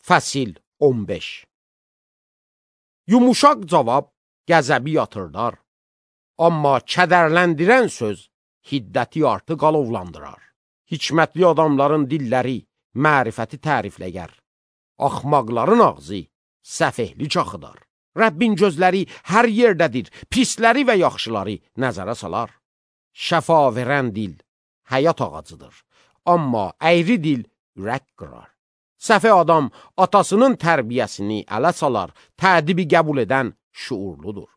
Fəsil 15. Yumuşaq cavab qəzəbi yatırdar, amma kədərləndirən söz hiddəti artı qalovlandırar. Hikmətli adamların dilləri mərifəti tərifləyər, axmaqların ağzı səfehli çaxıdar. Rəbbin gözləri hər yerdədir, pisləri və yaxşıları nəzərə salar. Şəfa verən dil həyat ağacıdır, amma əyri dil ürək qırar. Səfeh adam atasının tərbiyəsini ələ salar, tədibi qəbul edən şuurludur.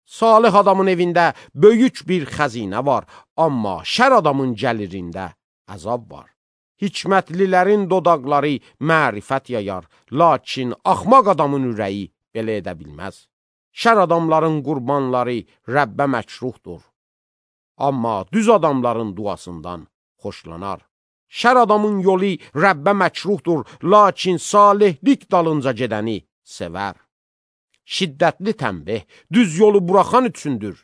Salih adamın evində böyük bir xəzinə var, amma şər adamın gəlirində əzab var. Hikmətlilərin dodaqları mərifət yayar, lakin axmaq adamın ürəyi belə edə bilməz. Şər adamların qurbanları Rəbbə məkruhdur, amma düz adamların duasından xoşlanar. Şər adamın yolu Rəbbə məkruhdur, lakin salihlik dalınca gedəni sevər. Şiddətli tənbih düz yolu buraxan üçündür.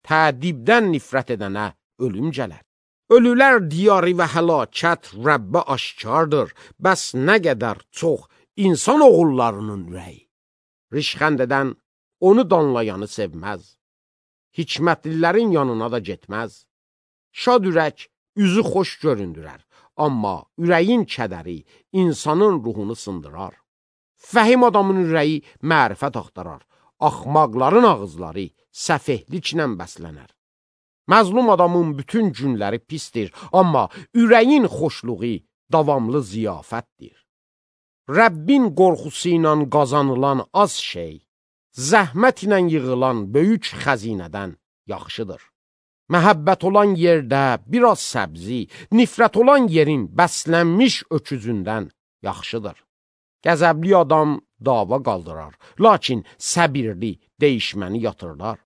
Tədibdən nifrət edənə ölüm gələr. Ölülər diyarı və həlakət Rəbbə aşkardır, bəs nə qədər çox insan oğullarının ürəyi. Rişxənd edən onu danlayanı sevməz. Hikmətlilərin yanına da getməz. Şad ürək üzü xoş göründürər, amma ürəyin kədəri insanın ruhunu sındırar. Fəhim adamın ürəyi mərifət axtarar, axmaqların ağızları səfehliklə bəslənər. Məzlum adamın bütün günləri pisdir, amma ürəyin xoşluğu davamlı ziyafətdir. Rəbbin qorxusu ilə qazanılan az şey, zəhmət ilə yığılan böyük xəzinədən yaxşıdır. Məhəbbət olan yerdə biraz səbzi, nifrət olan yerin bəslənmiş öküzündən yaxşıdır. Qəzəbli adam dava qaldırar, lakin səbirli deyişməni yatırlar.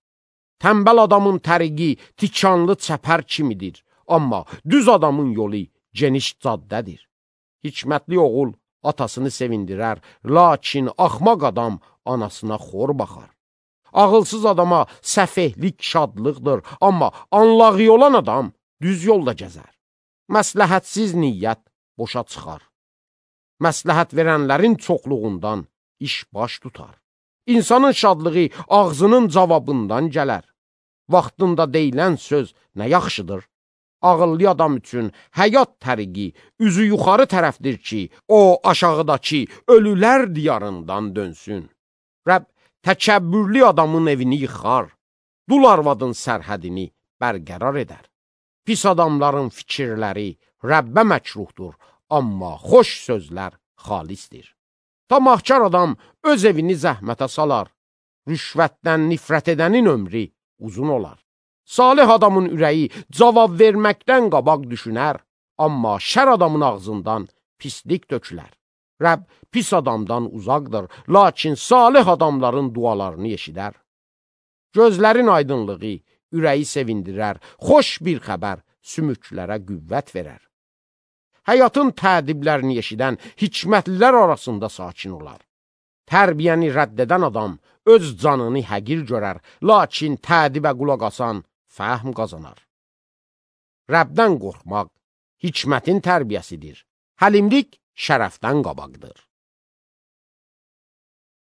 Tənbəl adamın təriqi tikanlı çəpər kimidir, amma düz adamın yolu geniş caddədir. Hikmətli oğul atasını sevindirər, lakin axmaq adam anasına xor baxar. Ağılsız adama səfehlik şadlıqdır, amma anlağı olan adam düz yolda gəzər. Məsləhətsiz niyyət boşa çıxar. Məsləhət verənlərin çoxluğundan iş baş tutar. İnsanın şadlığı ağzının cavabından gələr. Vaxtında deyilən söz nə yaxşıdır? Ağıllı adam üçün həyat təriqi üzü yuxarı tərəfdir ki, o aşağıdakı ölülər diyarından dönsün. Rəbb təkəbbürlü adamın evini yıxar, dul arvadın sərhədini bərqərar edər. Pis adamların fikirləri Rəbbə məkruhdur, amma xoş sözlər xalisdir. Tamahkar adam öz evini zəhmətə salar, rüşvətdən nifrət edənin ömrü uzun olar. Salih adamın ürəyi cavab verməkdən qabaq düşünər, amma şər adamın ağzından pislik tökülər. Rəbb pis adamdan uzaqdır, lakin salih adamların dualarını eşidər. Gözlərin aydınlığı ürəyi sevindirər, xoş bir xəbər sümüklərə qüvvət verər. Həyatın tədiblərini eşidən hikmətlilər arasında sakin olar. Tərbiyəni rədd edən adam öz canını həqir görər, lakin tədibə qulaq asan fəhm qazanar. Rəbdən qorxmaq hikmətin tərbiyəsidir. Həlimlik şərəfdən qabaqdır.